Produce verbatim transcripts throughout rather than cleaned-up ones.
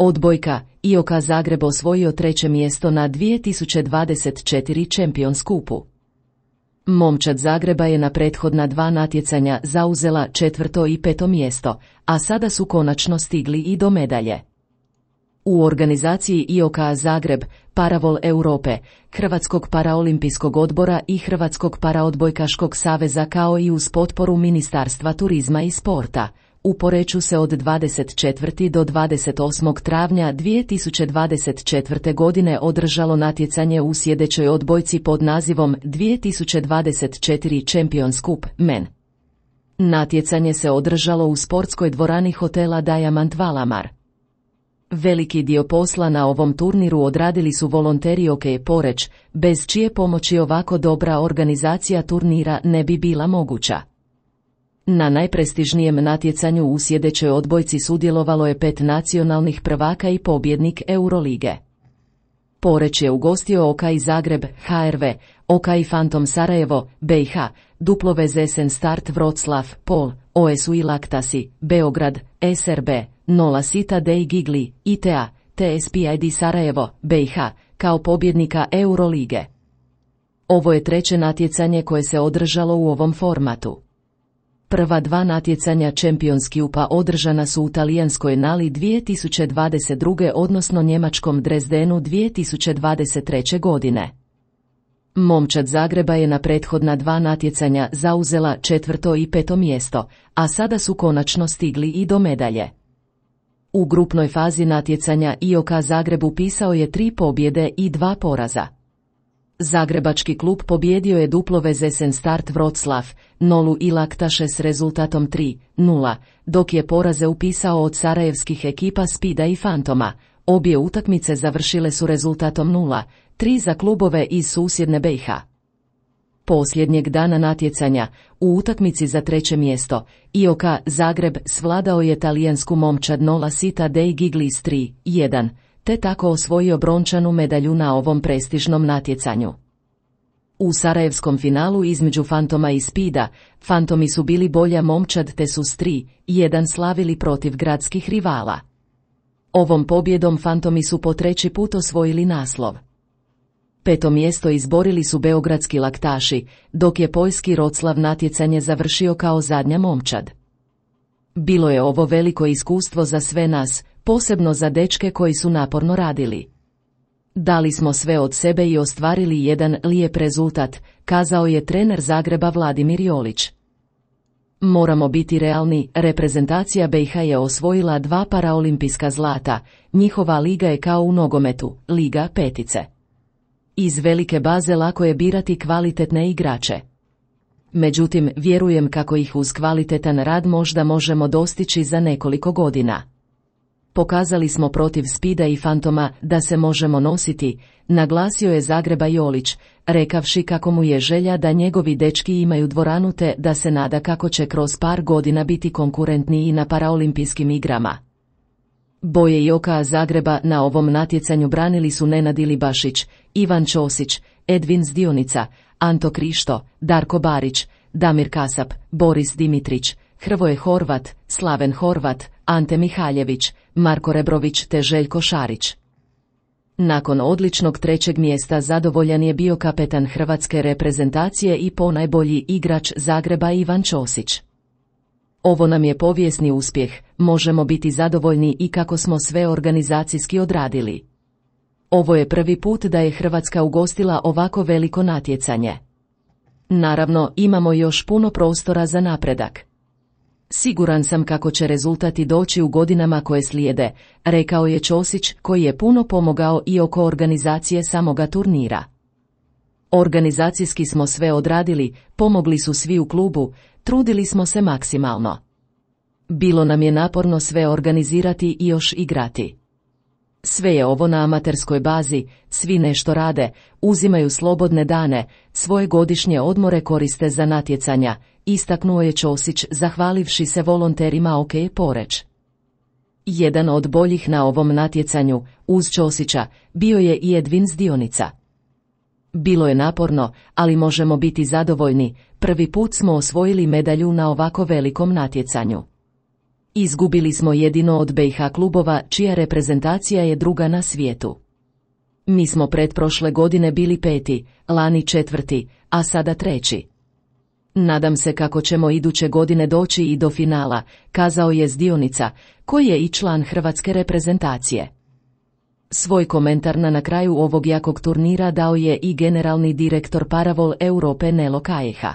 Odbojka, I O K Zagreb osvojio treće mjesto na dvije tisuće dvadeset četiri Champions Cupu. Momčad Zagreba je na prethodna dva natjecanja zauzela četvrto i peto mjesto, a sada su konačno stigli i do medalje. U organizaciji I O K Zagreb, Paravol Europe, Hrvatskog paraolimpijskog odbora i Hrvatskog paraodbojkaškog saveza kao i uz potporu Ministarstva turizma i sporta, u Poreču se od dvadeset četvrtog do dvadeset osmog travnja dvije tisuće dvadeset četvrte. godine održalo natjecanje u sjedećoj odbojci pod nazivom dvije tisuće dvadeset četiri Champions Cup Men. Natjecanje se održalo u sportskoj dvorani hotela Diamant Valamar. Veliki dio posla na ovom turniru odradili su volonteri O K Poreč, bez čije pomoći ovako dobra organizacija turnira ne bi bila moguća. Na najprestižnijem natjecanju u sjedećoj odbojci sudjelovalo je pet nacionalnih prvaka i pobjednik Eurolige. Poreč je ugostio O K I Zagreb, H R V, O K I Fantom Sarajevo, B I H, W Z S N Start Wroclaw, Pol, O S U I Laktasi, Beograd, S R B, Nola Sita Dei Gigli, I T A, T S P I D Sarajevo, B I H, kao pobjednika Eurolige. Ovo je treće natjecanje koje se održalo u ovom formatu. Prva dva natjecanja Champions Cupa održana su u talijanskoj Nali dvije tisuće dvadeset druge. odnosno njemačkom Dresdenu dvije tisuće dvadeset treće. godine. Momčad Zagreba je na prethodna dva natjecanja zauzela četvrto i peto mjesto, a sada su konačno stigli i do medalje. U grupnoj fazi natjecanja I O K Zagreb upisao je tri pobjede i dva poraza. Zagrebački klub pobjedio je W Z S N Start Wroclaw, Nolu i Laktaše s rezultatom tri nula, dok je poraze upisao od sarajevskih ekipa Spida i Fantoma. Obje utakmice završile su rezultatom nula tri za klubove iz susjedne B I H. Posljednjeg dana natjecanja, u utakmici za treće mjesto, I O K Zagreb svladao je talijansku momčad Nola Sita Dei Gigli s tri jedan, te tako osvojio brončanu medalju na ovom prestižnom natjecanju. U sarajevskom finalu između Fantoma i Spida, Fantomi su bili bolja momčad te su s tri jedan slavili protiv gradskih rivala. Ovom pobjedom Fantomi su po treći put osvojili naslov. Peto mjesto izborili su beogradski Laktaši, dok je poljski Wroclaw natjecanje završio kao zadnja momčad. Bilo je ovo veliko iskustvo za sve nas, posebno za dečke koji su naporno radili. Dali smo sve od sebe i ostvarili jedan lijep rezultat, kazao je trener Zagreba Vladimir Jolić. Moramo biti realni, reprezentacija B I H je osvojila dva paraolimpijska zlata, njihova liga je kao u nogometu, liga petice. Iz velike baze lako je birati kvalitetne igrače. Međutim, vjerujem kako ih uz kvalitetan rad možda možemo dostići za nekoliko godina. Pokazali smo protiv Spida i Fantoma da se možemo nositi, naglasio je Zagreba Jolić, rekavši kako mu je želja da njegovi dečki imaju dvoranu te da se nada kako će kroz par godina biti konkurentniji na paraolimpijskim igrama. Boje I O K Zagreba na ovom natjecanju branili su Nenad Ilibašić, Ivan Ćosić, Edvin Zdionica, Anto Krišto, Darko Barić, Damir Kasap, Boris Dimitrić, Hrvoje Horvat, Slaven Horvat, Ante Mihaljević, Marko Rebrović te Željko Šarić. Nakon odličnog trećeg mjesta zadovoljan je bio kapetan hrvatske reprezentacije i ponajbolji igrač Zagreba Ivan Ćosić. Ovo nam je povijesni uspjeh, možemo biti zadovoljni i kako smo sve organizacijski odradili. Ovo je prvi put da je Hrvatska ugostila ovako veliko natjecanje. Naravno, imamo još puno prostora za napredak. Siguran sam kako će rezultati doći u godinama koje slijede, rekao je Ćosić koji je puno pomogao i oko organizacije samoga turnira. Organizacijski smo sve odradili, pomogli su svi u klubu, trudili smo se maksimalno. Bilo nam je naporno sve organizirati i još igrati. Sve je ovo na amaterskoj bazi, svi nešto rade, uzimaju slobodne dane, svoje godišnje odmore koriste za natjecanja, istaknuo je Ćosić zahvalivši se volonterima O K Poreč. Jedan od boljih na ovom natjecanju, uz Ćosića, bio je i Edvin Zdionica. Bilo je naporno, ali možemo biti zadovoljni, prvi put smo osvojili medalju na ovako velikom natjecanju. Izgubili smo jedino od B i H klubova čija reprezentacija je druga na svijetu. Mi smo pretprošle godine bili peti, lani četvrti, a sada treći. Nadam se kako ćemo iduće godine doći i do finala, kazao je Zdionica, koji je i član hrvatske reprezentacije. Svoj komentar na, na kraju ovog jakog turnira dao je i generalni direktor Paravol Europe Nelo Calleja.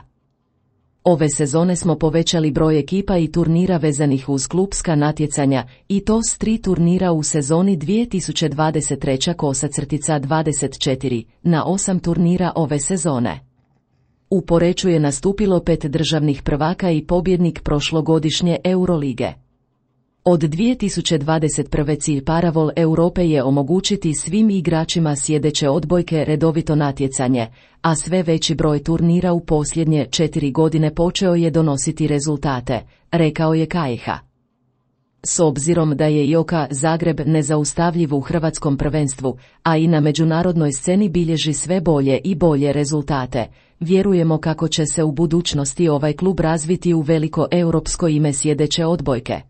Ove sezone smo povećali broj ekipa i turnira vezanih uz klupska natjecanja, i to s tri turnira u sezoni dvije tisuće dvadeset treće dvadeset četiri, na osam turnira ove sezone. U Poreču je nastupilo pet državnih prvaka i pobjednik prošlogodišnje Eurolige. Od dvije tisuće dvadeset prve cilj Paravol Europe je omogućiti svim igračima sjedeće odbojke redovito natjecanje, a sve veći broj turnira u posljednje četiri godine počeo je donositi rezultate, rekao je Calleja. S obzirom da je I O K Zagreb nezaustavljiv u hrvatskom prvenstvu, a i na međunarodnoj sceni bilježi sve bolje i bolje rezultate, vjerujemo kako će se u budućnosti ovaj klub razviti u veliko europsko ime sjedeće odbojke.